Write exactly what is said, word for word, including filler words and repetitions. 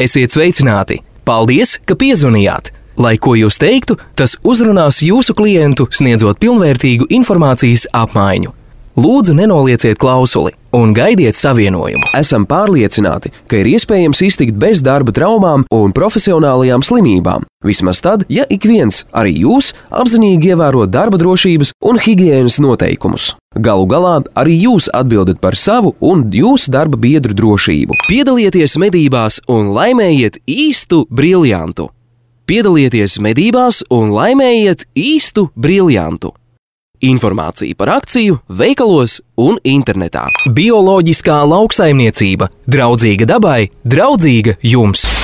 Esiet sveicināti! Paldies, ka piezvanījāt! Lai ko jūs teiktu, tas uzrunās jūsu klientu, sniedzot pilnvērtīgu informācijas apmaiņu. Lūdzu, nenolieciet klausuli un gaidiet savienojumu. Esam pārliecināti, ka ir iespējams iztikt bez darba traumām un profesionālajām slimībām. Vismaz tad, ja ik viens, arī jūs, apzinīgi ievēro darba drošības un higienas noteikumus. Galu galā arī jūs atbildat par savu un jūsu darba biedru drošību. Piedalieties medībās un laimējiet īstu briljantu. Piedalieties medībās un laimējiet īstu briljantu. Informācija par akciju veikalos un internetā. Bioloģiskā lauksaimniecība. Draudzīga dabai, draudzīga jums!